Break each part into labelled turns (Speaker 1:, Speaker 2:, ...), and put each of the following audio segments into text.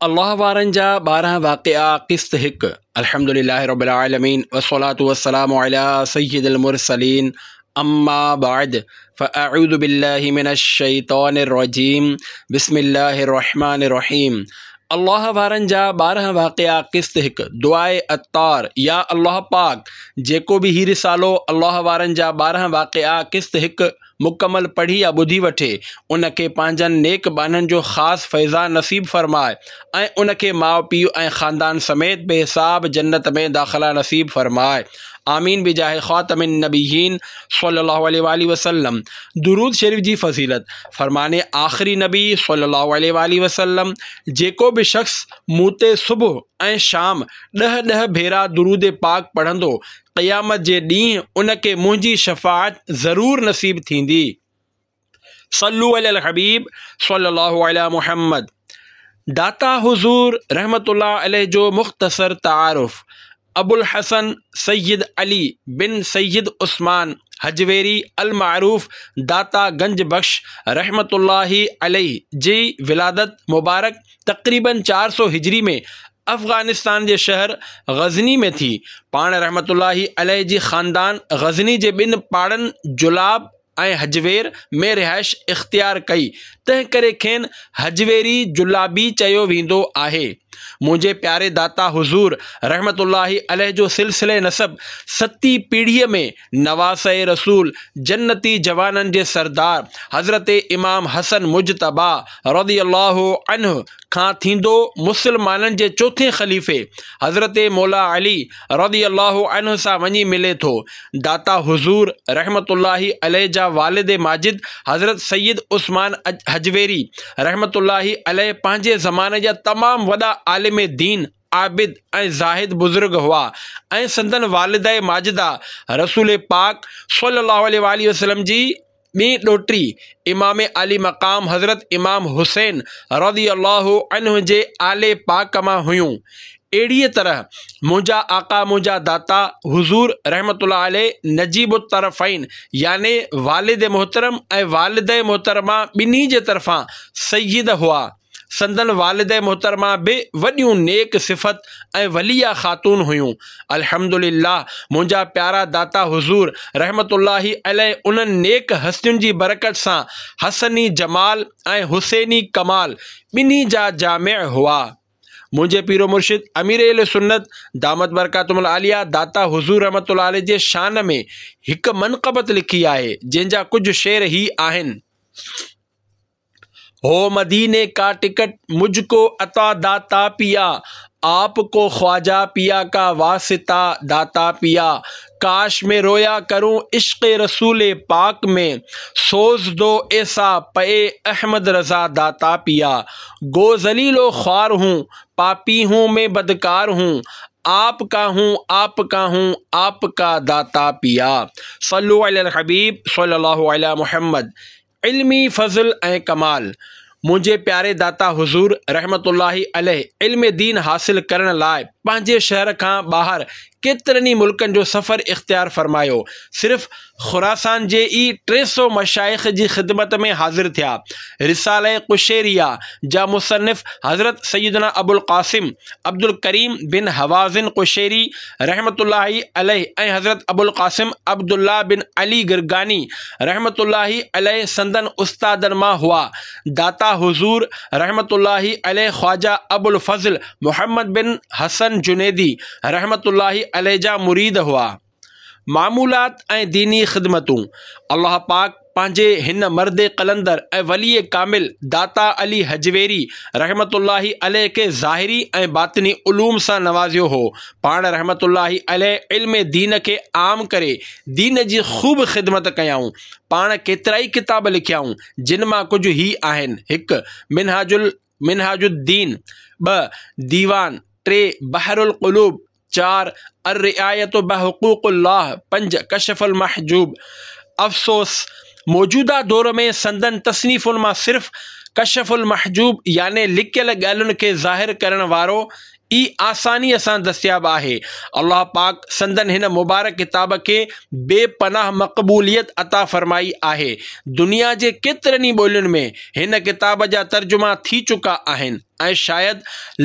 Speaker 1: الله وارن جا 12 واقعا قسط 1 الحمد لله رب العالمين والصلاة والسلام على سيد المرسلين اما بعد فاعوذ بالله من الشيطان الرجيم بسم الله الرحمن الرحيم الله وارن جا 12 واقعا قسط 1 دعاء عطار يا الله پاڪ جيڪو به هي رسالو الله وارن جا 12 واقعا قسط 1 مڪمل پڙهي يا ٻڌي وٺي، ان کي پنهنجن نيڪ ٻانهن جو خاص فيضان نصيب فرماء ۽ ان کي ماء پيء ۽ خاندان سميت بي حساب جنت ۾ داخلا نصيب فرماء. آمين بجاه خاتم النبيين صلي الله عليه واٰله وسلم درود شريف جي فضيلت، فرمان آخري نبي صلي الله عليه واٰله وسلم، جيڪو به شخص مون تي صبح ۽ شام ڏهه ڏهه ڀيرا درود پاڪ پڙهندو قيامت جي ڏينهن ان کي منهنجي شفاعت ضرور نصيب ٿيندي. صلو علی الحبيب صلي الله علي محمد داتا حضور رحمة الله عليه جو مختصر تعارف ابوالحسن سيد علي بن سيد عثمان هجويري المعروف داتا گنج بخش رحمة الله عليه جي ولادت مبارڪ تقريباً 400 هجري ۾ افغانستان جي شهر غزني ۾ ٿي. پاڻ رحمة الله عليه جي خاندان غزني جي ٻن پاڙن جلاب ۽ هجوير ۾ رهائش اختيار ڪئي، تنهن ڪري کين هجويري جلابي چيو ويندو آهي. منهنجي پياري داتا حضور رحمة الله عليه جو سلسلي نسب ستين پيڙهيء ۾ نواسه رسول جنتي جوانن جي سردار حضرت امام حسن مجتبيٰ رضي الله عنه کان ٿيندو مسلمانن جي چوٿين خليفي حضرت مولا علي رضي الله عنه سان وڃي ملي ٿو. داتا حضور رحمة الله عليه جا والد ماجد حضرت سيد عثمان هجويري رحمة الله عليه پنهنجي زماني جا تمام وڏا عالم دين، عابد ۽ زاهد بزرگ هئا ۽ سندن والده ماجده رسول پاڪ صلي الله عليه واٰله وسلم جي ٻي ڏوهٽي امام عالي مقام حضرت امام حسين رضي الله عنه جي آل پاڪ مان هيون. اهڙيء طرح منهنجا آقا منهنجا داتا حضور رحمة الله عليه نجيب الطرفين يعني والد محترم ۽ والده محترمه ٻنهي جي طرفان سيد هئا. سندن والده محترمه به وڏيون نيڪ صفت ۽ وليه خاتون هيون. الحمد لله منهنجا پيارا داتا حضور رحمة الله عليه انهن نيڪ هستين جي برڪت سان حسني جمال ۽ حسيني ڪمال ٻنهي جا جامع هئا. منهنجي پير و مرشد امير اهل سنت دامت برڪاتهم العاليه داتا حضور رحمة الله عليه جي شان ۾ هڪ منقبت لکي آهي جنهن جا ڪجهه شعر هي آهن. هو مديني کا ٽڪٽ مجھ کو عطا داتا پيا آپ کو خواجه پيا کا واسطه داتا پيا ڪاش مين رويا ڪرون عشق رسول پاڪ ۾ سوز دو ايسا پئي احمد رضا داتا پيا گو ذليل و خوار هون پاپي هون مين بدڪار هون آپ کا هون آپ کا هون آپ کا داتا پيا صلو علي الحبيب صلي الله علي محمد علمي فضل ۽ ڪمال، منهنجي پياري داتا حضور رحمة الله عليه علم دين حاصل ڪرڻ لاء پنهنجي شهر کان ٻاهر ڪيترن ئي ملڪن جو سفر اختيار فرمايو، صرف خراسان جي ئي 300 مشائخ جي خدمت ۾ حاضر ٿيا. رساله قشيريه جا مصنف حضرت سيدنا ابوالقاسم عبدالڪريم بن هوازن قشيري رحمة الله عليه ۽ حضرت ابوالقاسم عبدالله بن علي گرگاني رحمة الله عليه سندن استادن مان هئا. داتا حضور رحمة الله عليه خواجه ابوالفضل محمد بن حسن جنيدي رحمة الله عليه جا مريد هئا. معمولات ۽ ديني خدمتون، الله پاڪ پنهنجي هن مرد قلندر ۽ ولي ڪامل داتا علي هجويري رحمة الله عليه کي ظاهري ۽ باطني علوم سان نوازيو هو. پاڻ رحمة الله عليه علم دين کي عام ڪري دين جي خوب خدمت ڪيائون. پاڻ ڪيترائي ڪتاب لکيائون، جن مان ڪجهه هي آهن، هڪ. منهاج منهاج الدين، ٻه. ديوان، ٽي. بحر القلوب، چار، الرعاية بحقوق الله، پنج، ڪشف المحجوب. افسوس! موجوده دور ۾ سندن تصنيفن مان صرف ڪشف المحجوب يعني لڪيل ڳالهين کي ظاهر ڪرڻ وارو ئي آسانيء سان دستياب آهي. الله پاڪ سندن هن مبارڪ ڪتاب کي بي پناهه مقبوليت عطا فرمائي آهي. دنيا جي ڪيترن ئي ٻولين ۾ هن ڪتاب جا ترجما ٿي چڪا آهن. ۽ شايد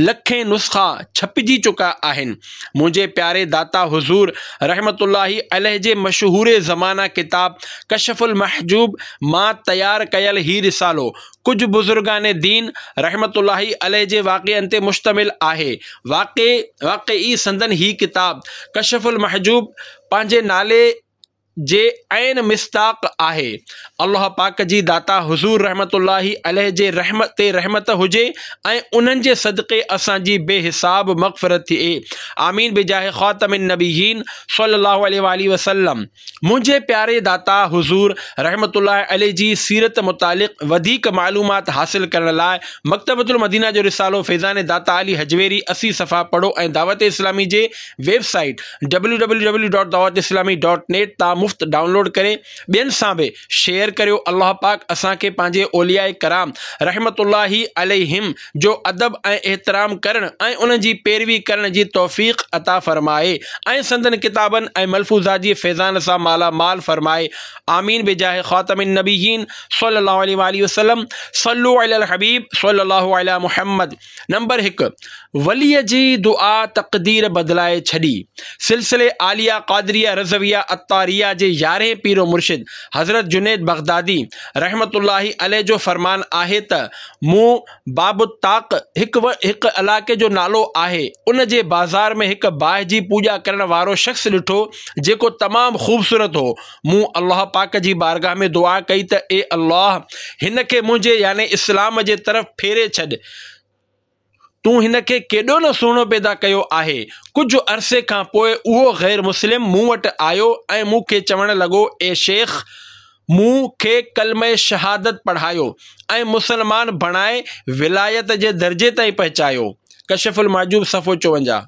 Speaker 1: لکين نسخا ڇپجي چڪا آهن. منهنجي پياري داتا حضور رحمة الله عليه جي مشهور زمانه ڪتاب ڪشف المحجوب مان تيار ڪيل هي رسالو ڪجهه بزرگان دين رحمة الله عليه جي واقعن تي مشتمل آهي. واقعي واقعي سندن هي ڪتاب ڪشف المحجوب پنهنجي نالي جي عين مصداق آهي. الله پاڪ جي داتا حضور رحمة الله عليه جي رحمت تي رحمت هجي ۽ انهن جي صدقي اسان جي بي حساب مغفرت ٿئي آمين بجاه خاتم النبيين صلي الله عليه واله وسلم منهنجي پياري داتا حضور رحمة الله عليه جي سيرت متعلق وڌيڪ معلومات حاصل ڪرڻ لاء مڪتبة المدينه جو رسالو فيضان داتا علي هجويري 80 صفحا پڙهو ۽ دعوت اسلامي جي ويب سائيٽ www.dawatislami.net تان مفت ڊائونلوڊ ڪري ٻين سان به شيئر ڪريو الله پاڪ اسان کي پنهنجي اولياء ڪرام رحمة الله عليهم جو ادب ۽ احترام ڪرڻ ۽ انهن جي پيروي ڪرڻ جي توفيق عطا فرمائي ۽ سندن ڪتابن ۽ ملفوظات جي فيضان سان مالا مال فرمائي آمين بجاه خاتم النبيين صلي الله عليه واله وسلم صلو علي الحبيب صلي الله علي محمد نمبر هڪ، وليء جي دعا تقدير بدلائي ڇڏي. سلسلي عاليه قادريه رضويه عطاريه جي يارهين پير و مرشد حضرت جنيد بغدادي رحمة الله عليه جو فرمان آهي ته مون باب الطاق هڪ هڪ علائقي جو نالو آهي ان جي بازار ۾ هڪ باهه جي پوڄا ڪرڻ وارو شخص ڏٺو جيڪو تمام خوبصورت هو مون الله پاڪ جي بارگاهه ۾ دعا ڪئي ته اي الله! هن کي منهنجي يعني اسلام جي طرف ڦيري ڇڏ. تون هن کي ڪيڏو نه سهڻو پيدا ڪيو آهي. ڪجهه عرصي کان پوء اهو غير مسلم مون وٽ آيو ۽ مون کي چوڻ لڳو اي شيخ! مون کي ڪلمه شهادت پڙهايو ۽ مسلمان بڻائي ولايت جي درجي تائين پهچايو. ڪشف المحجوب صفحو 54.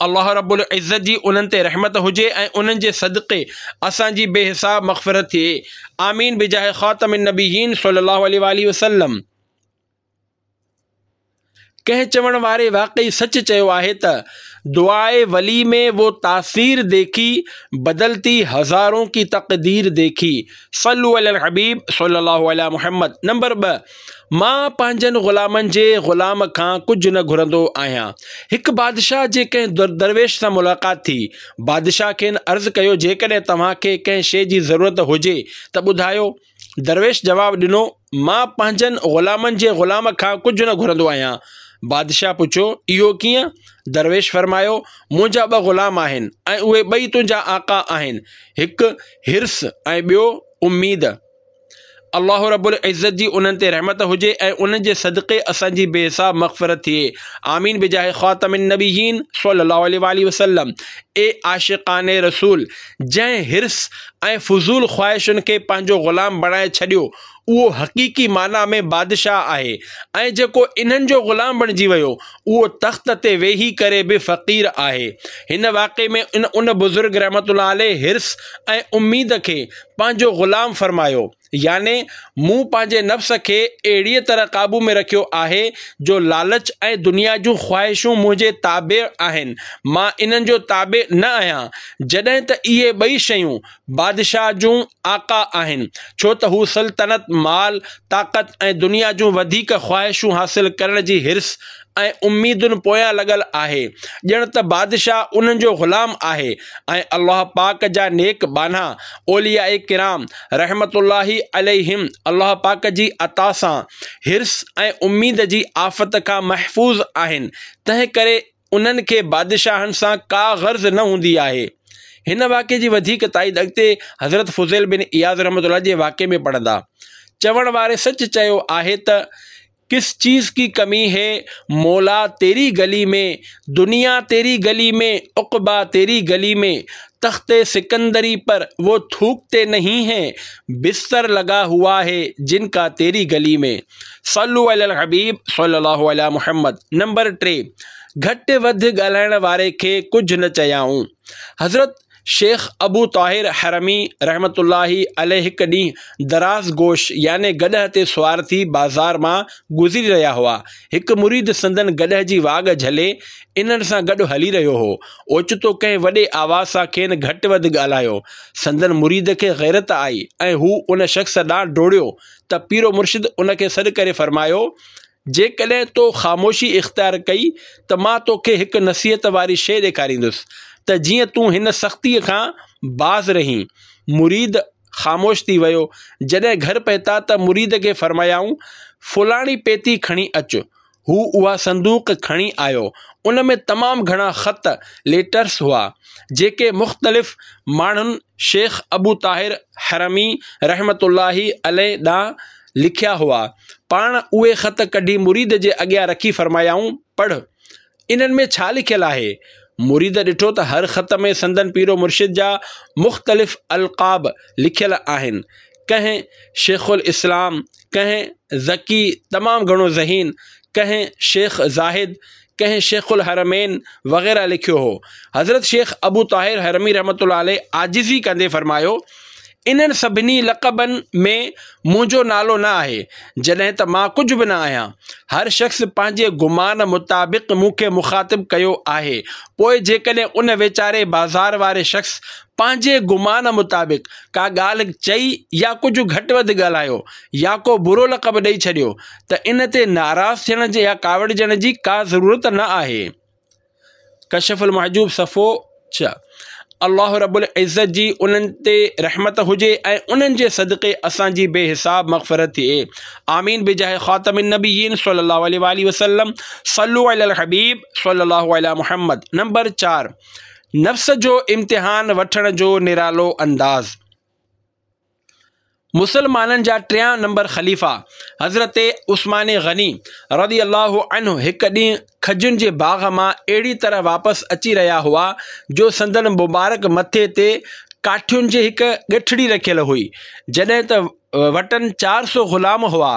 Speaker 1: الله رب العزت جي انهن تي رحمت هجي ۽ انهن جي صدقي اسان جي بي حساب مغفرت ٿئي آمين بجاه خاتم النبيين صلي الله عليه واله وسلم. ڪنهن چوڻ واري واقعي سچ چيو آهي ته دعاء ولي ۾ وو تاثير ديکي بدلتي هزارون ڪي تقدير ديکي صلو علي الحبيب صلي الله علي محمد نمبر 2 مان پنهنجن غلامن جي غلام کان ڪجهه نه گهرندو آهيان. هڪ بادشاهه جي ڪنهن درويش سان ملاقات ٿي. بادشاهه کين عرض ڪيو جيڪڏهن توهان کي ڪنهن شيء جي ضرورت هجي ته ٻڌايو. درويش جواب ڏنو مان پنهنجن غلامن جي غلام کان ڪجهه نه گهرندو آهيان. بادشاهه پڇيو اهو ڪيئن؟ درويش فرمايو منهنجا ٻه غلام آهن ۽ اهي ٻئي تنهنجا آقا آهن. هڪ حرص ۽ ٻيو اميد. الله رب العزت جي انهن تي رحمت هجي ۽ انهن جي صدقي اسان جي بي حساب مغفرت ٿئي آمين بجاه خاتم النبيين صلي الله عليه واله وسلم اي عاشقان رسول جنهن حرص ۽ فضول خواهشن کي پنهنجو غلام بڻائي ڇڏيو اهو حقيقي معنيٰ ۾ بادشاهه آهي ۽ جيڪو انهن جو غلام بڻجي ويو اهو تخت تي ويهي ڪري به فقير آهي هن واقعي ۾ ان ان بزرگ رحمة الله عليه حرص ۽ اميد کي پنهنجو غلام فرمايو، يعني مون پنهنجي نفس کي اهڙيء طرح قابو ۾ رکيو آهي جو لالچ ۽ دنيا جون خواهشون منهنجي تابع آهن، مان انهن جو تابع نه آهيان، جڏهن ته اهي ٻئي شيون بادشاهه جون آقا آهن، ڇو ته هو سلطنت، مال، طاقت ۽ دنيا جون وڌيڪ خواهشون حاصل ڪرڻ جي حرص ۽ اميدن پويان لڳل آهي، ڄڻ ته بادشاهه انهن جو غلام آهي ۽ الله پاڪ جا نيڪ ٻانها اولياء ڪرام رحمة الله عليهم الله پاڪ جي عطا سان حرص ۽ اميد جي آفت کان محفوظ آهن، تنهن ڪري انهن کي بادشاهن سان ڪا غرض نه هوندي آهي. هن واقعي جي وڌيڪ تائيد اڳتي حضرت فضيل بن عياض رحمة الله جي واقعي ۾ پڙهندا. چوڻ واري سچ چيو آهي ته. ڪس چيز ڪي ڪمي هي مولا تيري گلي ۾ دنيا تيري گلي ۾ عقبيٰ تيري گلي ۾ تخت سڪندري پر وو ٿوڪتي نهين هين بستر لگا هوا هي جن ڪا تيري گلي ۾ صلو علي الحبيب صلي الله علي محمد نمبر 3 گهٽ وڌ ڳالهائڻ واري کي ڪجهه نه چيائون حضرت شيخ ابو طاهر حرمي رحمة الله عليه هڪ ڏينهن دراز گوش يعني گڏهه تي سوار ٿي بازار مان گذري رهيا هئا. هڪ مريد سندن گڏهه جي واڳ جهلي انهن سان گڏ هلي رهيو هو. اوچتو ڪنهن وڏي آواز سان کين گهٽ وڌ ڳالهايو. سندن مريد کي غيرت آئي ۽ هو ان شخص ڏانهن ڊوڙيو ته پيرو مرشد ان کي سڏ ڪري فرمايو. جيڪڏهن تو خاموشي اختيار ڪئي ته مان توکي هڪ نصيحت واري شيء ڏيکاريندس ته جيئن تون هن سختيء کان باز رهين. مريد خاموش ٿي ويو. جڏهن گهر پهتا ته مريد کي فرمايائون، فلاڻي پيتي کڻي اچ. هو اها صندوق کڻي آيو. ان ۾ تمام گهڻا خط، Letters، هئا، جيڪي مختلف ماڻهن شيخ ابو طاهر حرمي رحمة الله عليه ڏانهن لکيا هئا. پاڻ اهي خط ڪڍي مريد جي اڳيان رکي فرمايائون، پڙهه! انهن ۾ ڇا لکيل آهي؟ مريد ڏٺو ته هر خط ۾ سندن پير و مرشد جا مختلف القاب لکيل آهن. ڪنهن شيخ الاسلام، ڪنهن ذڪي تمام گهڻو ذهين، ڪنهن شيخ زاهد، ڪنهن شيخ الحرمين وغيره لکيو هو. حضرت شيخ ابو طاهر حرمي رحمة الله عليه عاجزي ڪندي فرمايو، انهن سڀني لقبن ۾ منهنجو نالو نه آهي، جڏهن ته مان ڪجهه به نه آهيان. هر شخص پنهنجي گمان مطابق مون کي مخاطب ڪيو آهي، پوء جيڪڏهن ان ويچاري بازار واري شخص پنهنجي گمان مطابق ڪا ڳالهه چئي يا ڪجهه گهٽ وڌ ڳالهايو يا ڪو برو لقب ڏئي ڇڏيو ته ان تي ناراض ٿيڻ جي يا ڪاوڙجڻ جي ڪا ضرورت نه آهي. ڪشف المحجوب صفحو 6 الله رب العزت جي انهن تي رحمت هجي ۽ انهن جي صدقي اسان جي بي حساب مغفرت ٿئي آمين بجاه خاتم النبيين صلي الله عليه واله وسلم صلو علي الحبيب صلي الله علي محمد نمبر 4 نفس جو امتحان وٺڻ جو نرالو انداز مسلمانن جا ٽيان نمبر خليفا حضرت عثمان غني رضي الله عنه هڪ ڏينهن کجين جي باغ مان اهڙي طرح واپس اچي رهيا هئا جو سندن مبارڪ مٿي تي ڪاٺين جي هڪ ڳٺڙي رکيل هئي جڏهن ته وٽن 400 غلام هئا.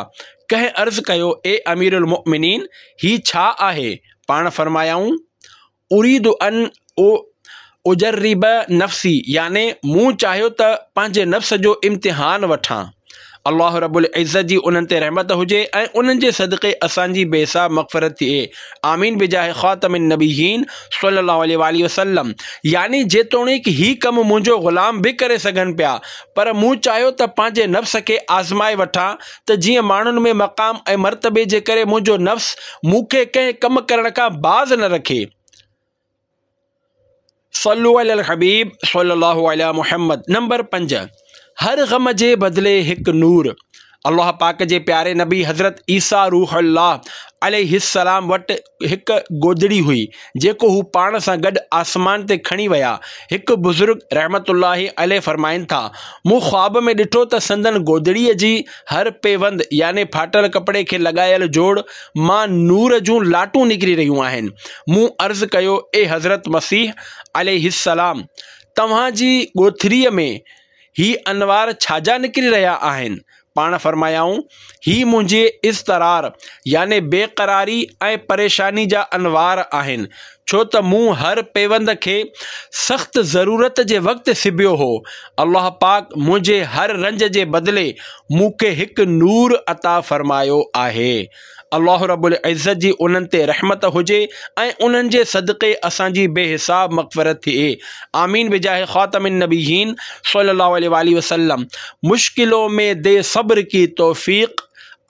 Speaker 1: ڪنهن عرض ڪيو اي امير المؤمنين هي ڇا آهي؟ پاڻ فرمايائون اريد ان اجرب نفسي يعني مون چاهيو ته پنهنجي نفس جو امتحان وٺان. الله رب العزت جي انهن تي رحمت هجي ۽ انهن جي صدقي اسان جي بي حساب مغفرت ٿئي. آمين بجاه خاتم النبيين صلي الله عليه واله وسلم يعني جيتوڻيڪ هي ڪم منهنجو غلام به ڪري سگهن پيا پر مون چاهيو ته پنهنجي نفس کي آزمائي وٺان ته جيئن ماڻهن ۾ مقام ۽ مرتبي جي ڪري منهنجو نفس مون کي ڪنهن ڪم ڪرڻ کان باز نه رکي. صلو علی الحبيب صلي الله علي محمد نمبر 5 هر غم جي بدلي هڪ نور الله پاڪ جي پياري نبي حضرت عيسيٰ روح الله عليه السلام وٽ هڪ گودڙي هئي، جيڪو هو پاڻ سان گڏ آسمان تي کڻي ويا. هڪ بزرگ رحمة الله عليه فرمائن ٿا، مون خواب ۾ ڏٺو ته سندن گودڙيء جي هر پيوند يعني ڦاٽل ڪپڙي کي لڳايل جوڙ مان نور جون لاٽون نڪري رهيون آهن. مون عرض ڪيو، اي حضرت مسيح عليه السلام! توهان جي ڳوٿريء ۾ هي انوار ڇا جا نڪري رهيا آهن؟ پاڻ فرمايائون، هي منهنجي اضطرار يعني بي قراري ۽ پريشاني جا انوار آهن، ڇو ته مون هر پيوند کي سخت ضرورت جي وقت سبيو هو، الله پاڪ منهنجي هر رنج جي بدلي مون کي هڪ نور عطا فرمايو آهي. الله رب العزت جي انهن تي رحمت هجي ۽ انهن جي صدقي اسان جي بي حساب مغفرت ٿئي آمين بجاه خاتم النبيين صلي الله عليه واله وسلم مشڪلون ۾ the صبر ڪي توفيق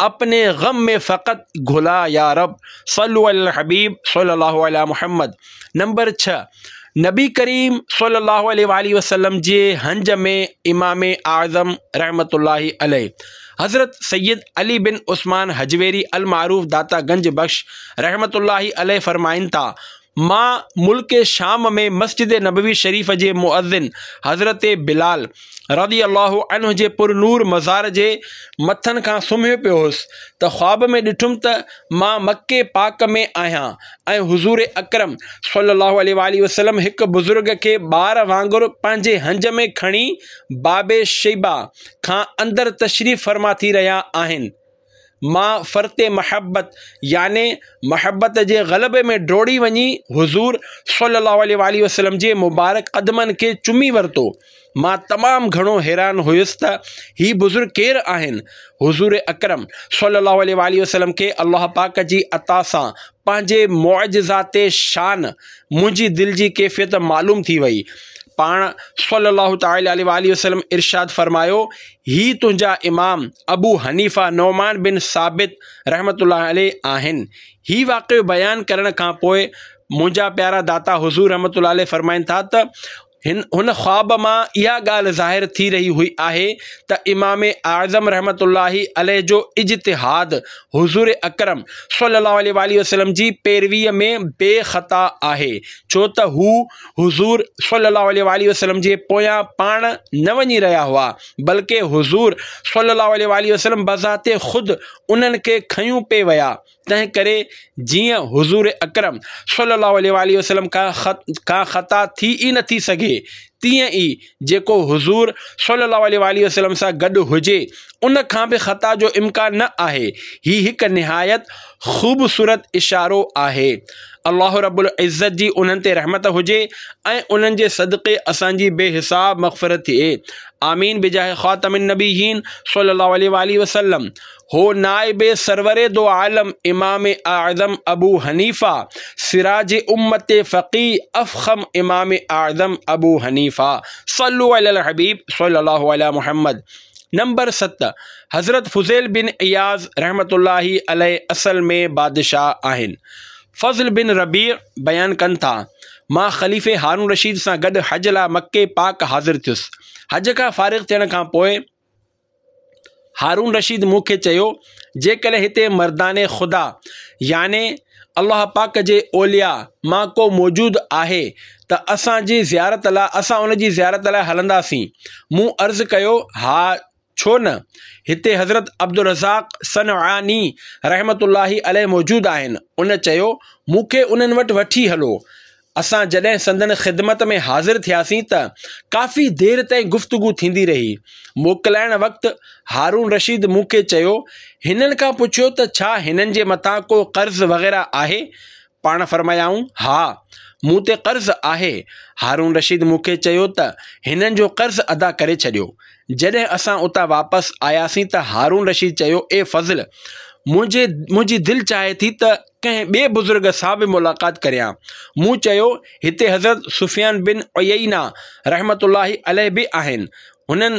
Speaker 1: اپني غم ۾ فقط گهلا يا رب صلو علي الحبيب صلي الله علي محمد نمبر 6 نبي ڪريم صلي الله عليه واله وسلم جي هنج ۾ امام اعظم رحمت الله عليه حضرت سيد علي بن عثمان هجويري المعروف داتا گنج بخش رحمت الله عليه فرمائن ٿا مان ملڪ شام ۾ مسجد نبوي شريف جي مؤذن حضرت بلال رضي الله عنه جي پر نور مزار جي مٿن کان سمهيو پيو هوس ته خواب ۾ ڏٺم ته مان مڪي پاڪ ۾ آهيان ۽ حضور اڪرم صلي الله عليه واٰله وسلم هڪ بزرگ کي ٻار وانگر پنهنجي هنج ۾ کڻي باب شيبه کان اندر تشريف فرما ٿي رهيا آهن. مان فرط محبت يعني محبت جي غلبي ۾ ڊوڙي وڃي حضور صلي الله عليه واٰله وسلم جي مبارڪ قدمن کي چمي ورتو. مان تمام گهڻو حيران هيس ته هي بزرگ ڪير آهن؟ حضور اڪرم صلي الله عليه واٰله وسلم کي الله پاڪ جي عطا سان پنهنجي معجزات شان منهنجي دل جي ڪيفيت معلوم ٿي وئي. پاڻ صلّي الله تعالٰي عليه واٰله وسلّم ارشاد فرمايو، هي تنهنجا امام ابو حنيفه نعمان بن ثابت رحمة الله عليه آهن. هي واقعو بيان ڪرڻ کان پوء منهنجا پيارا داتا حضور رحمة الله عليه فرمائن ٿا ته هن هن خواب مان اها ڳالهه ظاهر ٿي رهي هئي آهي ته امام اعظم رحمة الله عليه جو اجتهاد حضور اڪرم صلي الله عليه واٰله وسلم جي پيرويء ۾ بي خطا آهي ڇو ته هو حضور صلي الله عليه واٰله وسلم جي پويان پاڻ نه وڃي رهيا هئا بلڪه حضور صلي الله عليه واٰله وسلم بذات خود انهن کي کنيون پئي ويا تنهن ڪري جيئن حضور اڪرم صلي الله عليه واٰله وسلم کان خطا ٿي ئي نٿي سگهي تيئن ئي جيڪو حضور صلي الله عليه واٰله وسلم سان گڏ هجي ان کان به خطا جو امڪان نه آهي. هي هڪ نهايت خوبصورت اشارو آهي. الله رب العزت جي انهن تي رحمت هجي ۽ انهن جي صدقي اسان جي بي حساب مغفرت ٿئي. آمين بجاه خاتم النبيين صلي الله عليه واٰله وسلم. هو نائب سرور دو عالم امام اعظم ابو حنيفه سراج امت فقيه افخم امام اعظم ابو حنيفه صلو علي الحبيب صلي الله علي محمد نمبر 7 حضرت فضيل بن عياض رحمت الله عليه اصل ۾ بادشاهه آهن. فضل بن ربيع بيان ڪن ٿا، مان خليفي هارون رشيد سان گڏ حج لاء مڪي پاڪ حاضر ٿيس. حج کان فارغ ٿيڻ کان پوء هارون رشيد مون کي چيو، جيڪڏهن هتي مردان خدا يعني الله پاڪ جي اولياء مان ڪو موجود آهي ته اسان جي زيارت لاء اسان ان جي زيارت لاء هلنداسين. مون عرض ڪيو، ها ڇو نه، هتي حضرت عبدالرزاق صنعاني رحمة الله عليه موجود آهن. ان چيو، مون کي انهن وٽ وٺي هلو. اسان جڏهن سندن خدمت ۾ حاضر ٿياسين ته ڪافي دير تائين گفتگو ٿيندي رهي. موڪلائڻ وقت هارون رشيد مون کي چيو، هنن کان پڇيو ته ڇا هنن جي مٿان ڪو قرض وغيره آهي؟ پاڻ فرمايائون، ها، مون تي قرض آهي. هارون رشيد مون کي چيو ته هنن جو قرض ادا ڪري ڇڏيو. جڏهن اسان اتان واپس آياسين ته هارون رشيد چيو، اي فضل! منهنجي منهنجي دل چاهي ٿي ته ڪنهن ٻئي بزرگ سان به ملاقات ڪريان. مون چيو، هتي حضرت سفيان بن عيينه رحمة الله عليه به آهن. هنن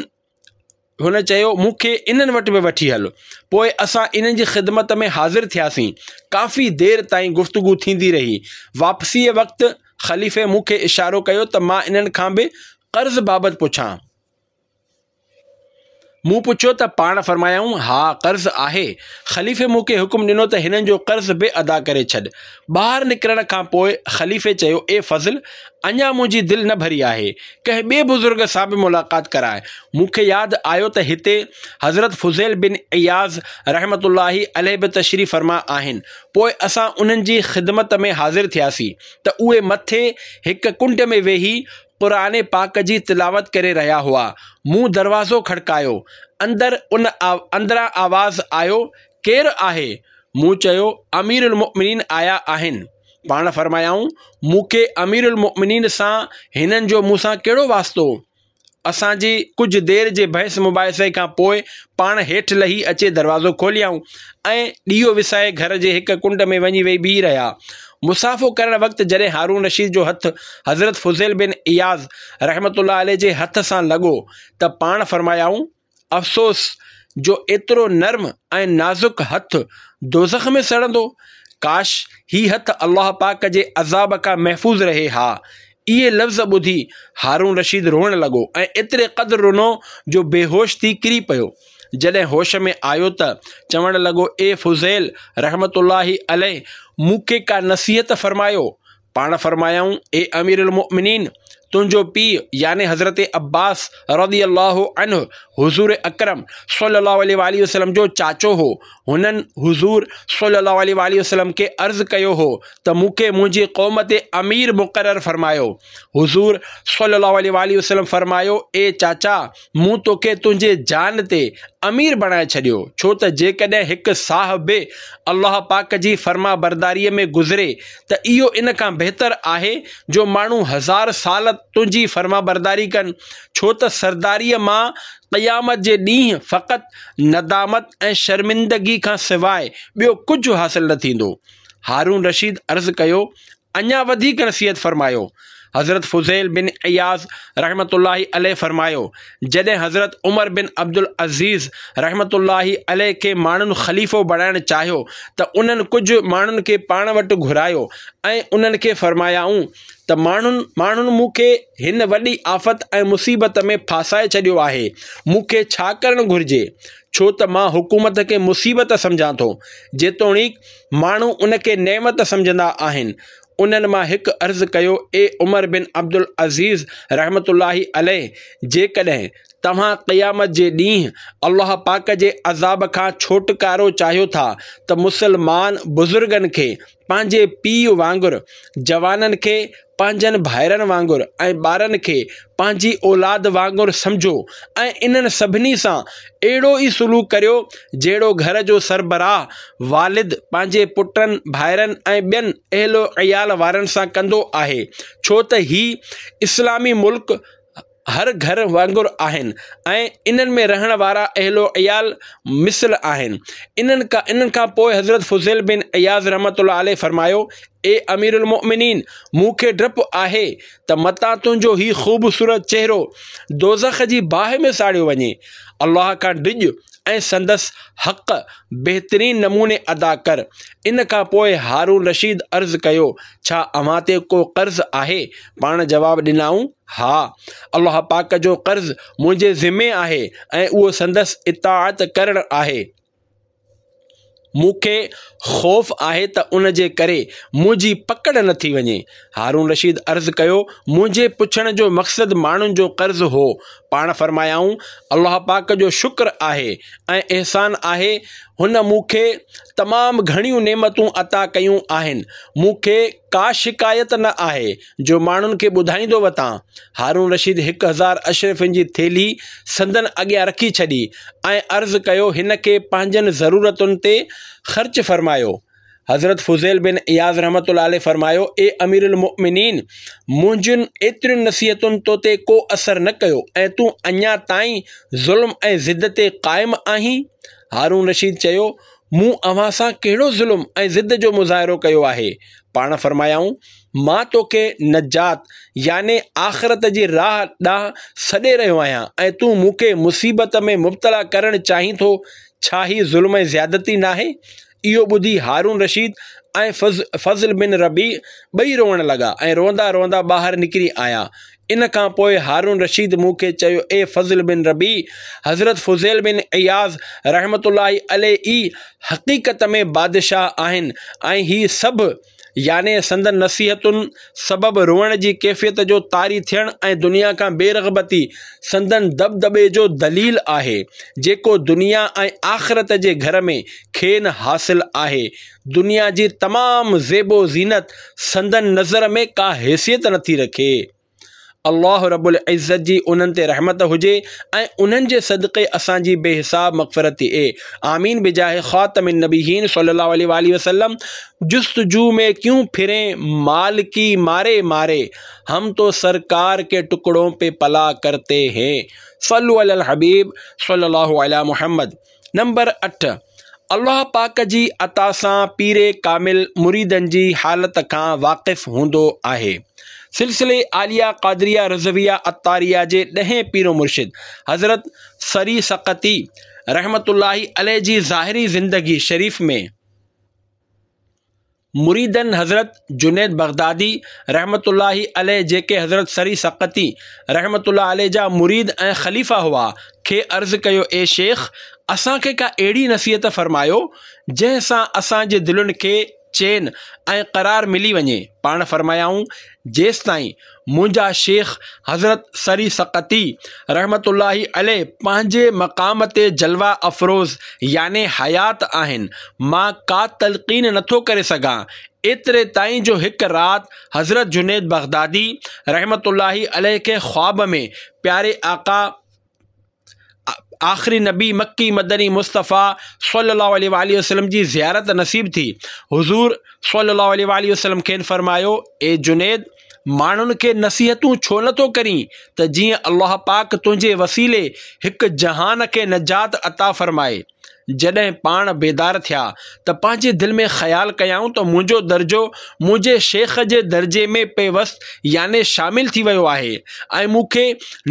Speaker 1: هن چيو، مون کي انهن وٽ به وٺي هل. پوء اسان انهن جي خدمت ۾ حاضر ٿياسين. ڪافي دير تائين گفتگو ٿيندي رهي. واپسيء وقت خليفي مون کي اشارو ڪيو ته مان انهن کان به قرض بابت پڇان. مون پڇيو ته پاڻ فرمايائون، ها قرض آهي. خليفي مون کي حڪم ڏنو ته هنن جو قرض به ادا ڪري ڇڏ. ٻاهر نڪرڻ کان پوء خليفي چيو، اي فضل! اڃا منهنجي دل نه ڀري آهي، ڪنهن ٻئي بزرگ سان به ملاقات ڪراء. مون کي ياد آيو ته هتي حضرت فضيل بن عياض رحمة الله عليه به تشريف فرما آهن. پوء اسان انهن جي خدمت ۾ حاضر ٿياسين ته اهي مٿي هڪ ڪنڊ ۾ ويهي قرآن پاڪ جي تلاوت ڪري رهيا هئا. مون دروازو کڙڪايو. اندر ان اندران آواز آيو، ڪير آهي؟ مون چيو، امير المؤمنين آيا آهن. پاڻ فرمايائون، مون کي امير المؤمنين سان هنن جو مون سان ڪهڙو واسطو؟ اسان جي ڪجهه دير جي بحث مباحثي کان پوء پاڻ هيٺ لهي اچي دروازو کوليائون ۽ ڏيئو وسائي گهر جي هڪ ڪنڊ ۾ وڃي ويهي بيهي رهيا. مصافحو ڪرڻ وقت جڏهن هارون رشيد جو هٿ حضرت فضيل بن عياض رحمة الله عليه جي هٿ سان لڳو ته پاڻ فرمايائون، افسوس جو ايترو نرم ۽ نازڪ هٿ دوزخ ۾ سڙندو! ڪاش هي هٿ الله پاڪ جي عذاب کان محفوظ رهي ها. اهي لفظ ٻڌي هارون رشيد روئڻ لڳو ۽ ايتري قدر رنو جو بيهوش ٿي ڪري پيو. جڏهن هوش ۾ آيو ته چوڻ لڳو اي فضيل رحمة الله عليه مون کي ڪا نصيحت فرمايو. پاڻ فرمايائون اي امير المؤمنين! تنهنجو پيء يعني حضرت عباس رضي الله عنه حضور اڪرم صلي الله عليه واٰله وسلم جو چاچو هو. هنن حضور صلي الله عليه واٰله وسلم کي عرض ڪيو هو ته مون کي منهنجي قوم تي امير مقرر فرمايو. حضور صلي الله عليه واٰله وسلم فرمايو، اي چاچا! مون توکي تنهنجي جان تي امير بڻائي ڇڏيو، ڇو ته جيڪڏهن هڪ ساهه به الله پاڪ جي فرمانبرداريء ۾ گذري ته اهو ان کان بهتر آهي جو ماڻهو هزار سال تنهنجي فرمانبرداري ڪن، ڇو ته سرداريء مان قيامت جي ڏينهن فقط ندامت ۽ شرمندگي کان سواء ٻيو ڪجهه حاصل نه ٿيندو. هارون رشيد عرض ڪيو، اڃا وڌيڪ نصيحت فرمايو. حضرت فضيل بن عياض رحمة الله عليه فرمايو، جڏهن حضرت عمر بن عبدالعزيز رحمة الله عليه کي ماڻهن خليفو بڻائڻ چاهيو ته انهن ڪجهه ماڻهن کي پاڻ وٽ گهرايو ۽ انهن کي فرمايائون ته ماڻهن ماڻهن مون کي هن وڏي آفت ۽ مصيبت ۾ ڦاسائي ڇڏيو آهي، مون کي ڇا ڪرڻ گهرجي؟ ڇو ته مان حڪومت کي مصيبت سمجهان ٿو، جيتوڻيڪ ماڻهو ان کي نعمت سمجهندا آهن. انهن مان هڪ عرض ڪيو، اي عمر بن عبدالعزيز رحمة الله عليه! جيڪڏهن توهان قيامت جي ڏينهن الله پاڪ جي عذاب کان ڇوٽڪارو چاهيو ٿا ته مسلمان بزرگن کي پنهنجي پيء وانگر، جوانن کي پنهنجن ڀائرن وانگر ۽ ٻارن کي پنهنجي اولاد وانگر سمجهو ۽ انهن سڀني سان اهڙو ئي سلوڪ ڪريو جهڙو گهر جو سربراهه والد پنهنجي پٽن، ڀائرن ۽ ٻين اهل و عيال وارن سان ڪندو آهي ڇو ته هي اسلامي ملڪ هر گهر وانگر آهن ۽ انهن ۾ رهڻ وارا اهل و عيال مثل آهن. انهن کان انهن کان پوء حضرت فضيل بن عياض رحمة الله عليه فرمايو، اي امير المؤمنين! مون کي ڊپ آهي ته متان تنهنجو هي خوبصورت چهرو دوزخ جي باهه ۾ ساڙيو وڃي. الله کان ڊڄ ۽ سندس حق بهترين نموني ادا ڪر. ان کان پوء هارون رشيد عرض ڪيو، ڇا اوهان تي ڪو قرض آهي؟ پاڻ جواب ڏنائون، ها، الله پاڪ جو قرض منهنجي ذمي آهي ۽ اهو سندس اطاعت ڪرڻ آهي. مون کي خوف آهي ته ان جي ڪري منهنجي پڪڙ نه ٿي وڃي. هارون رشيد عرض ڪيو، منهنجي پڇڻ جو مقصد ماڻهن جو قرض هو. پاڻ فرمايائون، الله پاڪ جو شڪر آهي ۽ احسان آهي هن مون کي تمام گهڻيون نعمتون عطا ڪيون آهن، مون کي ڪا شڪايت نه آهي جو ماڻهن کي ٻڌائيندو وتان. هارون رشيد 1000 اشرفين جي ٿيلهي سندن اڳيان رکي ڇڏي ۽ عرض ڪيو هن کي پنهنجن ضرورتن تي خرچ فرمايو. حضرت فضيل بن عياض رحمة الله عليه فرمايو، اي امير المؤمنين! منهنجين ايترين نصيحتن تو تي ڪو اثر نه ڪيو ۽ تون اڃا تائين ظلم ۽ ضد تي قائم آهين؟ هارون رشيد چيو، مون اوهان سان ڪهڙو ظلم ۽ ضد جو مظاهرو ڪيو آهي؟ پاڻ فرمايائون، مان توکي نجات يعني آخرت جي راهه ڏانهن سڏي رهيو آهيان ۽ تون مون کي مصيبت ۾ مبتلا ڪرڻ چاهين ٿو، ڇا هي ظلم ۽ زيادتي ناهي؟ اهو ٻڌي هارون رشيد ۽ فضل بن ربيع ٻئي روئڻ لڳا ۽ روئندا روئندا ٻاهر نڪري آيا. ان کان پوء هارون رشيد مون کي چيو، اي فضل بن ربيع! حضرت فضيل بن عياض رحمة الله عليه ئي حقيقت ۾ بادشاهه آهن ۽ هي سڀ يعني سندن نصيحتن سبب روئڻ جي ڪيفيت جو طاري ٿيڻ ۽ دنيا کان بي رغبتي سندن دٻدٻي جو دليل آهي، جيڪو دنيا ۽ آخرت جي گهر ۾ کين حاصل آهي. دنيا جي تمام زيب و زينت سندن نظر ۾ ڪا حيثيت نٿي رکي. الله رب العزت جي انهن تي رحمت هجي ۽ انهن جي صدقي اسان جي بي حساب مغفرت ٿئي. آمين بجاه خاتم النبيين صلي الله عليه واله وسلم جستجو ۾ ڪيون ڦرين مال ڪي ماري ماري هم تو سرڪار ڪي ٽڪڙون پي پلا ڪرتي هين صلو علي الحبيب صلي الله علي محمد نمبر 8، الله پاڪ جي عطا سان پير ڪامل مريدن جي حالت کان واقف هوندو آهي. سلسلي عاليه قادريه رضويه عطاريه جي ڏهين پير و مرشد حضرت سري سقطي رحمة الله عليه جي ظاهري زندگي شريف ۾ مريدن حضرت جنيد بغدادي رحمة الله عليه جيڪي حضرت سري سقطي رحمة الله عليه جا مريد ۽ خليفا هئا، کي عرض ڪيو اي شيخ! اسان کي ڪا اهڙي نصيحت فرمايو، جنهن سان اسان جي دلين کي چين ۽ قرار ملي وڃي. پاڻ فرمايائون، جيستائين منهنجا شيخ حضرت سري سقطي رحمة الله عليه پنهنجي مقام تي جلوه افروز يعني حيات آهن، مان ڪا تلقين نٿو ڪري سگهان، ايتري تائين جو هڪ رات حضرت جنيد بغدادي رحمة الله عليه کي خواب ۾ پياري آقا آخري نبي مڪي مدني مصطفيٰ صلي الله عليه واٰله وسلم جي زيارت نصيب ٿي. حضور صلي الله عليه واٰله وسلم کين فرمايو، اي جنيد! ماڻهن کي نصيحتون ڇو نه ٿو ڪرين ته جيئن الله پاڪ تنهنجي وسيلي هڪ جهان کي نجات عطا فرمائي. جڏهن پاڻ بيدار ٿيا ته پنهنجي دل ۾ خيال ڪيائون ته منهنجو درجو منهنجي شيخ جي درجي ۾ پيوست يعني شامل ٿي ويو آهي ۽ مون کي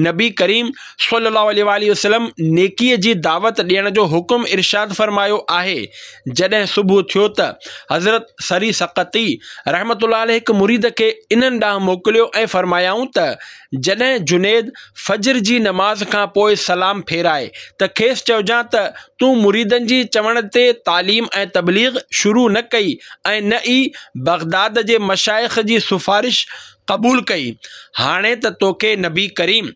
Speaker 1: نبي ڪريم صلي الله عليه واٰله وسلم نيڪي جي دعوت ڏيڻ جو حڪم ارشاد فرمايو آهي. جڏهن صبح ٿيو ته حضرت سري سقطي رحمة الله عليه هڪ مريد کي انهن ڏانهن موڪليو ۽ فرمايائون ته جڏهن جنيد فجر جي نماز کان پوء سلام ڦيرائي ته کيس چئجان ته تون مريدن جي چوڻ تي تعليم ۽ تبليغ شروع نه ڪئي ۽ نه ئي بغداد جي مشائخ جي سفارش قبول ڪئي، هاڻي ته توکي نبي ڪريم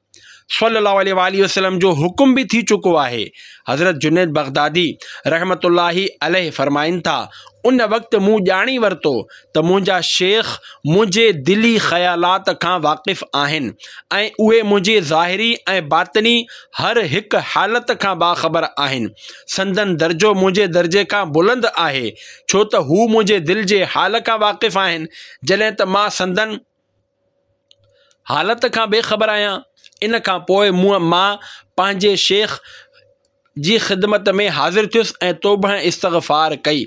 Speaker 1: صلي الله عليه واٰله وسلم جو حڪم به ٿي چڪو آهي. حضرت جنيد بغدادي رحمة الله عليه فرمائن ٿا، ان وقت مون ڄاڻي ورتو ته منهنجا شيخ منهنجي دلي خيالات کان واقف آهن ۽ اهي منهنجي ظاهري ۽ باطني هر هڪ حالت کان باخبر آهن. سندن درجو منهنجي درجي کان بلند آهي، ڇو ته هو منهنجي دل جي حال کان واقف آهن، جڏهن ته مان سندن حالت کان بي خبر آهيان. ان کان پوء مون مان پنهنجي شيخ جي خدمت ۾ حاضر ٿيس ۽ توبه ۽ استغفار ڪئي.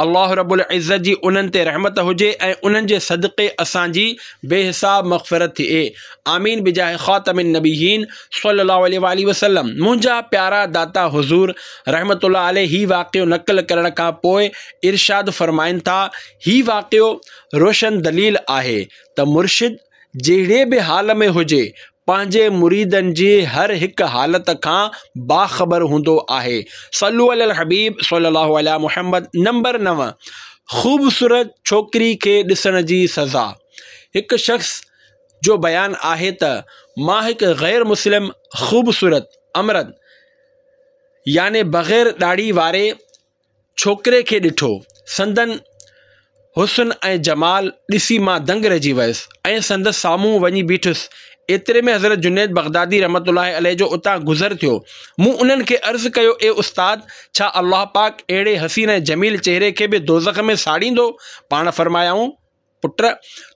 Speaker 1: الله رب العزت جي انهن تي رحمت هجي ۽ انهن جي صدقي اسان جي بي حساب مغفرت ٿئي. آمين بجاه خاتم النبيين صلي الله عليه واٰله وسلم. منهنجا پيارا داتا حضور رحمة الله عليه هي واقعو نقل ڪرڻ کان پوء ارشاد فرمائن ٿا، هي واقعو روشن دليل آهي ته مرشد جهڙي به حال ۾ هجي پنهنجي مريدن جي هر هڪ حالت کان باخبر هوندو آهي. صلو علي الحبيب صلي الله علي محمد نمبر 9 خوبصورت ڇوڪري کي ڏسڻ جي سزا هڪ شخص جو بيان آهي ته مان هڪ غير مسلم خوبصورت امرد يعني بغير ڏاڙهي واري ڇوڪري کي ڏٺو. سندن حسن ۽ جمال ڏسي مان دنگ رهجي ويس ۽ سندس سامهون وڃي بيٺس. ايتري ۾ حضرت جنيد بغدادي رحمة الله عليه جو اتان گذر ٿيو. مون انهن کي عرض ڪيو، اي استاد! ڇا الله پاڪ اهڙي حسين ۽ جميل چهري کي به دوزخ ۾ ساڙيندو؟ پاڻ فرمايائون. پٽ!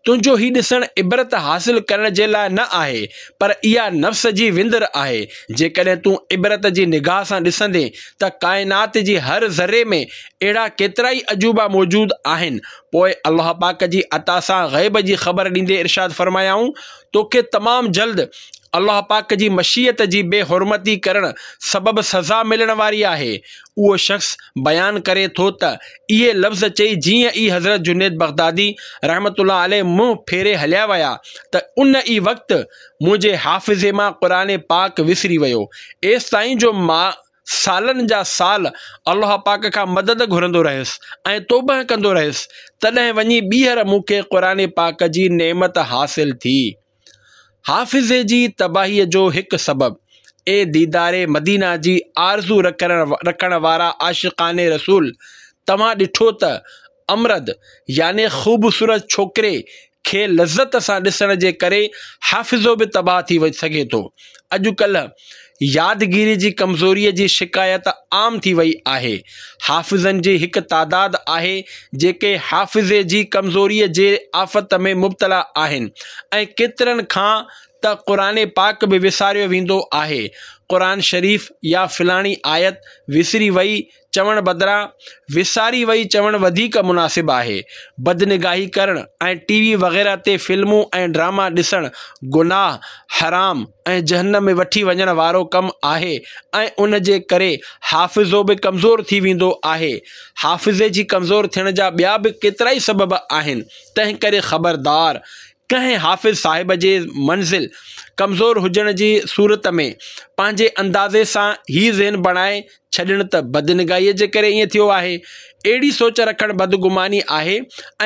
Speaker 1: تنهنجو هي ڏسڻ عبرت حاصل ڪرڻ جي لاء نه آهي، پر اها نفس جي وندر آهي. جيڪڏهن تون عبرت جي نگاهه سان ڏسندين ته ڪائنات جي هر ذري ۾ اهڙا ڪيترائي عجوبا موجود آهن. پوء الله پاڪ جي عطا سان غيب جي خبر ڏيندي ارشاد فرمايائون، توکي تمام جلد الله پاڪ جي مشيت جي بي حرمتي ڪرڻ سبب سزا ملڻ واري آهي. اهو شخص بيان ڪري ٿو ته اهي لفظ چئي جيئن ئي حضرت جنيد بغدادي رحمة الله عليه منهن ڦيري هليا ويا ته ان ئي وقت منهنجي حافظي مان قرآن پاڪ وسري ويو ايستائين جو مان سالن جا سال الله پاڪ کان مدد گهرندو رهيس ۽ توبهه ڪندو رهيس تڏهن وڃي ٻيهر مون کي قرآن پاڪ جي نعمت حاصل ٿي. حافظي جي تباهيء جو هڪ سبب، اي ديدار مدينه جي آرزو رکڻ وارا عاشقان رسول! توهان ڏٺو ته امرد يعني خوبصورت ڇوڪري کي لذت سان ڏسڻ جي ڪري حافظو به تباهه ٿي سگهي ٿو. اڄڪلهه يادگيري جي ڪمزوريء جي شڪايت عام ٿي وئي آهي. حافظن جي هڪ تعداد آهي جيڪي حافظي جي ڪمزوريء جي آفت ۾ مبتلا آهن ۽ ڪيترن کان ته قرآن پاڪ به وساريو ويندو آهي. قرآن شريف يا فلاڻي آيت وسري وئي چوڻ بدران وساري وئي چوڻ وڌيڪ مناسب آهي. بدنگاهي ڪرڻ ۽ ٽي وي وغيره تي فلمون ۽ ڊراما ڏسڻ گناهه، حرام ۽ جهنم ۾ وٺي وڃڻ وارو ڪم آهي ۽ ان جي ڪري حافظو به ڪمزور ٿي ويندو آهي. حافظي جي ڪمزور ٿيڻ جا ٻيا به ڪيترائي سبب آهن، تنهنڪري خبردار! ڪنهن حافظ صاحب جي منزل ڪمزور هجڻ جي صورت ۾ پنهنجي اندازي سان هي ذهن بڻائي ڇڏڻ ته بدنگاهيء جي ڪري ائين ٿيو آهي. اهڙي سوچ رکڻ بدگماني آهي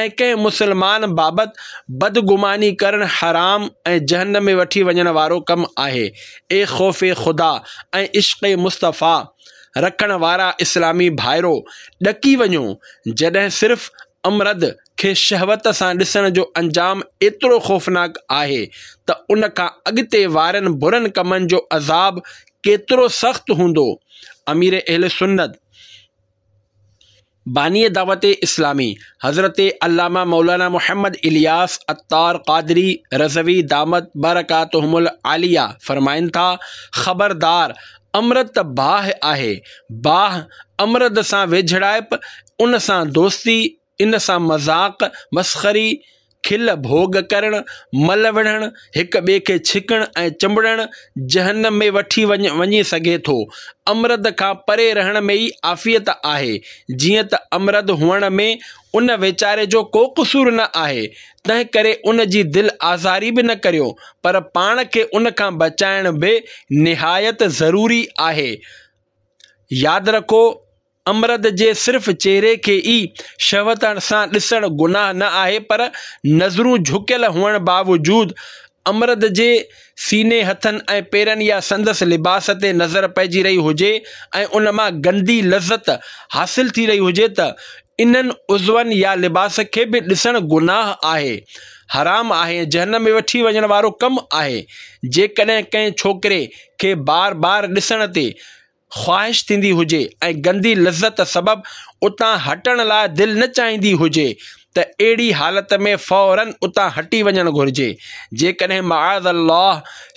Speaker 1: ۽ ڪنهن مسلمان بابت بدگماني ڪرڻ حرام ۽ جهنم ۾ وٺي وڃڻ وارو ڪم آهي. اي خوف خدا ۽ عشق مصطفيٰ رکڻ وارا اسلامي ڀائرو! ڏڪي وڃو، جڏهن صرف امرد کي شهوت سان ڏسڻ جو انجام ايترو خوفناڪ آهي ته ان کان اڳتي وارن برن ڪمن جو عذاب ڪيترو سخت هوندو. امير اهل سنت، باني دعوت اسلامي حضرت علامه مولانا محمد الياس عطار قادري رضوي دامت برڪاتهم العاليه فرمائن ٿا، خبردار! امرت ته باهه آهي. باهه، امرد سان ويجهڙائپ، ان سان دوستي، ان سان مذاق، مسخري، کل ڀوڳ ڪرڻ، مل وڙهڻ، هڪ ٻئي کي ڇڪڻ ۽ چنبڙڻ جهنم ۾ وٺي وڃي سگهي ٿو. امرد کان پري رهڻ ۾ ئي عافيت آهي. جيئن ته امرد هئڻ ۾ ان ويچاري جو ڪو قصور نه آهي، تنهن ڪري ان جي دل آزاري به نه ڪريو، پر پاڻ کي ان کان بچائڻ به نهايت ضروري آهي. ياد رکو! امرد جي صرف چهري کي ئي شهوت سان ڏسڻ گناهه نه آهي پر نظرون جهڪيل هئڻ باوجود امرد جي سيني، هٿن ۽ پيرن يا سندس لباس تي نظر پئجي رهي هجي ۽ ان مان گندي لذت حاصل ٿي رهي هجي ته انهن عضون يا لباس کي به ڏسڻ گناهه آهي، حرام آهي ۽ جهنم ۾ وٺي وڃڻ وارو ڪم آهي. جيڪڏهن ڪنهن ڇوڪري کي بار بار ڏسڻ تي خواهش ٿيندي هجي ۽ گندي لذت سبب اتان هٽڻ لاء دل نه چاهيندي هجي ته اهڙي حالت ۾ فوراً اتان هٽي وڃڻ گهرجي. جيڪڏهن معاذ الله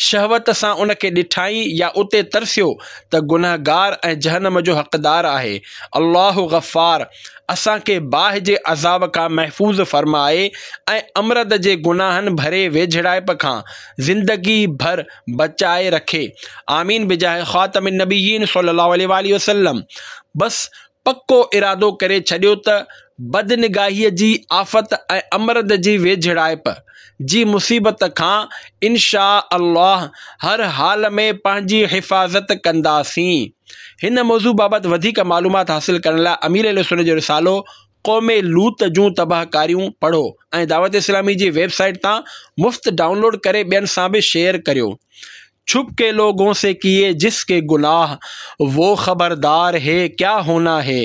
Speaker 1: شهوت سان ان کي ڏٺائين يا اتي ترسيو ته گنهگار ۽ جهنم جو حقدار آهي. الله غفار اسان کي باهه جي عذاب کان محفوظ فرمائي ۽ امرد جي گناهن ڀري ويجهڙائپ کان زندگي ڀر بچائي رکي آمين بجاه خاتم النبيين صلي الله عليه واٰله وسلم بس پڪو ارادو ڪري ڇڏيو ته بدنگاهيء جي آفت ۽ امرد جي ويجهڙائپ جي مصيبت کان انشاء الله هر حال ۾ پنهنجي حفاظت ڪنداسين. هن موضوع بابت وڌيڪ معلومات حاصل ڪرڻ لاء امير اهلسنت جو رسالو قوم لوط جون تباهڪاريون پڙهو ۽ دعوت اسلامي جي ويب سائيٽ تان مفت ڊائونلوڊ ڪري ٻين سان به شيئر ڪريو. چھپ ڪي لوگون سي ڪيئي جس ڪي گناھ وو خبردار ھي ڪيا ھونا ھي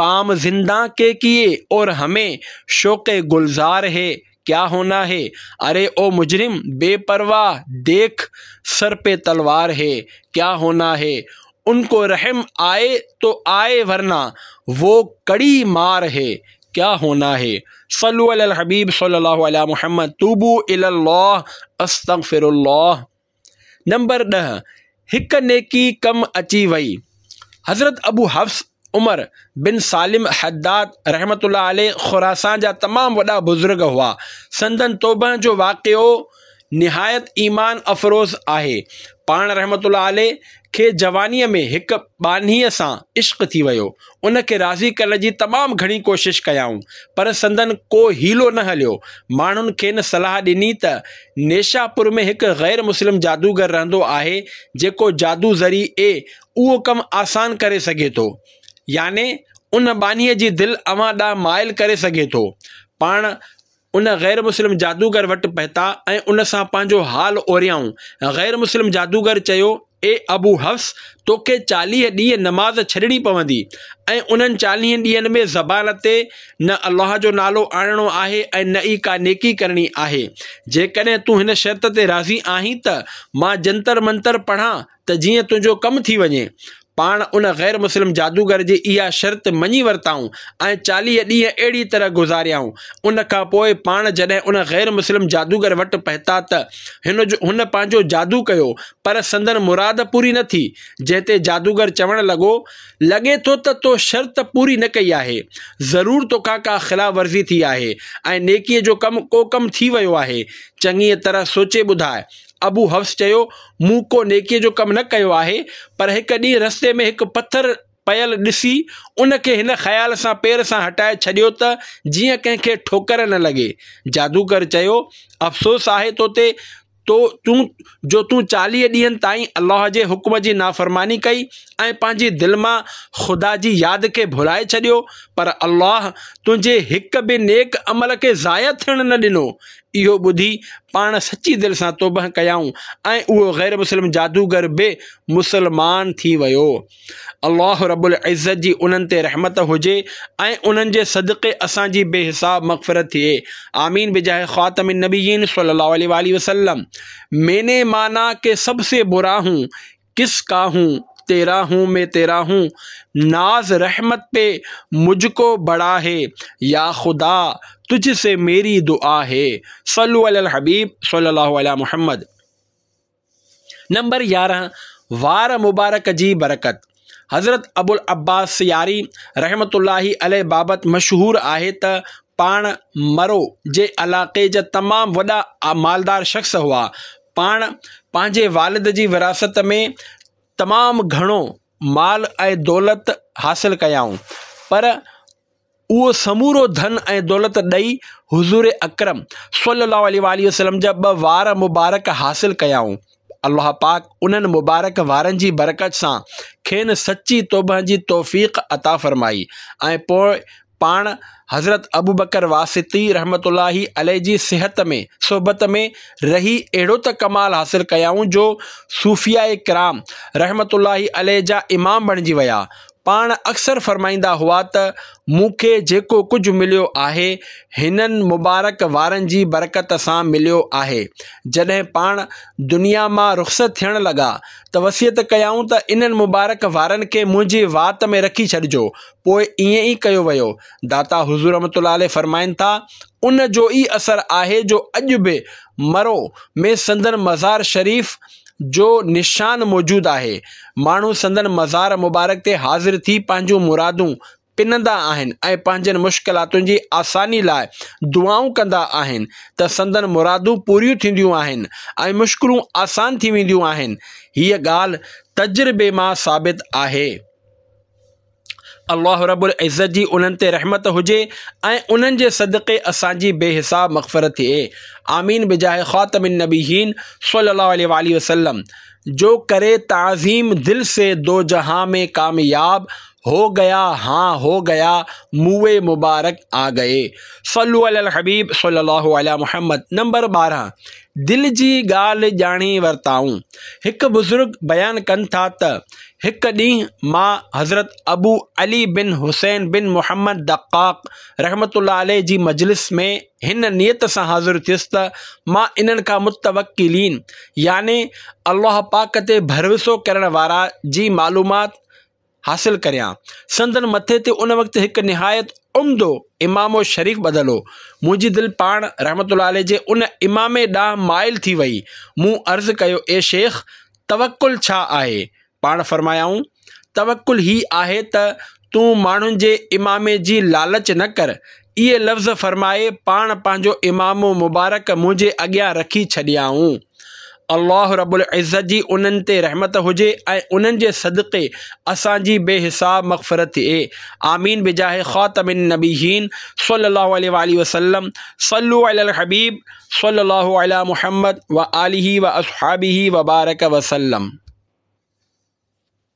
Speaker 1: ڪام زندان ڪي ڪيئي اور ھمين شوق گلزار ھي ڪيا ھونا ھي اري او مجرم بي پرواھ ديک سر پي تلوار ھي ڪيا ھونا ھي ان ڪو رحم آئي تو آئي ورنه وو ڪڙي مار هي ڪيا هونا هي صلو علي الحبيب صلي الله علي محمد توبو الي الله استغفر الله نمبر 10 هڪ نيڪي ڪم اچي وئي حضرت ابو حفص عمر بن سالم حداد رحمت الله عليه خراسان جا تمام وڏا بزرگ هئا سندن توبه جو واقعو نهايت ايمان افروز آهي. پاڻ رحمة الله عليه کي جوانيء ۾ هڪ ٻانهيء سان عشق ٿي ويو. ان کي راضي ڪرڻ جي تمام گهڻي ڪوشش ڪيائون، پر سندن ڪو حيلو نه هليو. ماڻهن کين صلاح ڏني ته نيشاپور ۾ هڪ غير مسلم جادوگر رهندو آهي، جيڪو جادو ذريعي اهو ڪم آسان ڪري سگهي ٿو. يعني ان ٻانهيء جي دل اوهان ڏانهن مائل ڪري سگهي ٿو. پاڻ ان غير مسلم جادوگر وٽ پهتا ۽ ان سان پنهنجو حال اوريائون. غير مسلم جادوگر چيو، اي ابو حفص! توکي 40 ڏينهن نماز ڇڏڻي پوندي ۽ انهن 40 ڏينهن ۾ زبان تي نه الله جو نالو آڻڻو آهي ۽ نه ئي ڪا نيڪي ڪرڻي آهي. جيڪڏهن تون هن شرط تي راضي آهين ته مان جنتر منتر پڙهان ته جيئن تنهنجو ڪم ٿي وڃي. پاڻ ان غير مسلم جادوگر جي اها شرط مڃي ورتائون ۽ 40 ڏينهن اهڙي طرح گذاريائون. ان کان پوء پاڻ جڏهن ان غير مسلم جادوگر وٽ پهتا ته هن جو هن پنهنجو جادو ڪيو پر سندن مراد پوري نه ٿي، جنهن تي جادوگر چوڻ لڳو، لڳي ٿو ته تو شرط پوري نه ڪئي آهي. ضرور توکان ڪا خلاف ورزي ٿي آهي ۽ نيڪيء جو ڪم ڪو ڪم ٿي ويو آهي. چڱيء طرح سوچي ٻڌاء. ابو حفص چيو، مون ڪو نيڪيء جو ڪم نه ڪيو آهي، پر هڪ ڏينهن رستي ۾ هڪ پٿر پيل ڏسي ان کي هن خيال سان پير سان هٽائي ڇڏيو ته جيئن ڪنهن کي ٺوڪر نه لڳي. جادوگر چيو، افسوس آهي تو تي، تو تون جو تون 40 ڏينهن تائين الله جي حڪم جي نافرماني ڪئي ۽ پنهنجي دل مان خدا جي ياد کي ڀلائي ڇڏيو، پر الله تنهنجي هڪ به نيڪ عمل کي ضايع ٿيڻ نه ڏنو. اهو ٻڌي پاڻ سچي دل سان توبهه ڪيائون ۽ اهو غير مسلم جادوگر به مسلمان ٿي ويو. الله رب العزت جي انهن تي رحمت هجي ۽ انهن جي صدقي اسان جي بي حساب مغفرت ٿئي. آمين بجاه خاتم النبيين صلي الله عليه واٰله وسلم. مين ني مانا ڪه سب سي برا هون ڪس ڪا هون تيرا هون مين تيرا هون ناز رحمت پي مجھ ڪو بڙا هي يا خدا تجھ سي ميري دعا هي صلو علي الحبيب صلي الله علي محمد. نمبر 11 وار مبارڪ جي برڪت، حضرت ابوالعباس سياري رحمة الله عليه بابت مشهور آهي ته پاڻ مرو جي علائقي جا تمام وڏا مالدار شخص هئا. پاڻ پنهنجي والد جي وراثت ۾ تمام گهڻو مال ۽ دولت حاصل ڪيائون، پر اهو سمورو ڌن ۽ دولت ڏئي حضور اڪرم صلي الله عليه واٰله وسلم جا ٻه وار مبارڪ حاصل ڪيائون. الله پاڪ انهن مبارڪ وارن جي برڪت سان کين سچي توبه جي توفيق عطا فرمائي ۽ پوء پاڻ حضرت ابوبڪر واسطي رحمة الله عليه جي صحت ۾ صحبت ۾ رهي اهڙو ته ڪمال حاصل ڪيائون جو صوفياء ڪرام رحمة الله عليه جا امام بڻجي ويا. پاڻ اڪثر فرمائيندا هئا ته مون کي جيڪو ڪجهه مليو آهي هنن مبارڪ وارن جي برڪت سان مليو آهي. جڏهن پاڻ دنيا مان رخصت ٿيڻ لڳا ته وصيت ڪيائون ته انهن مبارڪ وارن کي منهنجي وات ۾ رکي ڇڏجو پوء ائين ئي ڪيو ويو. داتا حضور رحمة الله عليه فرمائن ٿا، ان جو ئي اثر آهي جو اڄ به مرو ۾ سندن مزار شريف جو نشان موجود آهي. ماڻهو سندن مزار مبارڪ تي حاضر ٿي پنهنجون مرادون پنندا آهن ۽ پنهنجن مشڪلاتن جي آساني لاء دعائون ڪندا آهن ته سندن مرادون پوريون ٿينديون آهن ۽ مشڪلون آسان ٿي وينديون آهن. هيء ڳالهه تجربي مان ثابت آهي. الله رب العزت جي انهن تي رحمت هجي ۽ انهن جي صدقي اسان جي بي حساب مغفرت ٿئي. آمين بجاه خاتم النبيين صلي الله عليه واٰله وسلم جو ڪري تعظيم دل سي دو جهان ۾ ڪامياب هو گيا هان هو گيا موي مبارڪ آ گئي صلو علي الحبيب صلي الله علي محمد نمبر 12 دل جي ڳالهه ڄاڻي ورتائون هڪ بزرگ بيان ڪن ٿا ته هڪ ڏينهن مان حضرت ابو علي بن حسين بن محمد دقاق رحمة الله عليه جي مجلس ۾ هن نيت سان حاضر ٿيس ته مان انهن کان متوڪلين يعني الله پاڪ تي ڀروسو ڪرڻ وارا جي معلومات حاصل ڪريان. سندن مٿي تي ان وقت هڪ نهايت عمدو عمامو شريف ٻڌل هو. منهنجي دل پاڻ رحمة الله عليه جي ان عمامي ڏانهن مائل ٿي وئي. مون عرض ڪيو اي شيخ! توڪل ڇا آهي؟ پاڻ فرمايائون، توڪل هي آهي ته تون ماڻهن جي عمامي جي لالچ نه ڪر. اهي لفظ فرمائي پاڻ پنهنجو عمامو مبارڪ منهنجي اڳيان رکي ڇڏيائون. الله رب العزت جي انهن تي رحمت هجي ۽ انهن جي صدقي اسان جي بي حساب مغفرت ٿئي. آمين بجاه خاتم النبيين صلي الله عليه واٰله وسلم صلو علي الحبيب صلي الله علي محمد وآله واصحابه وبارڪ وسلم.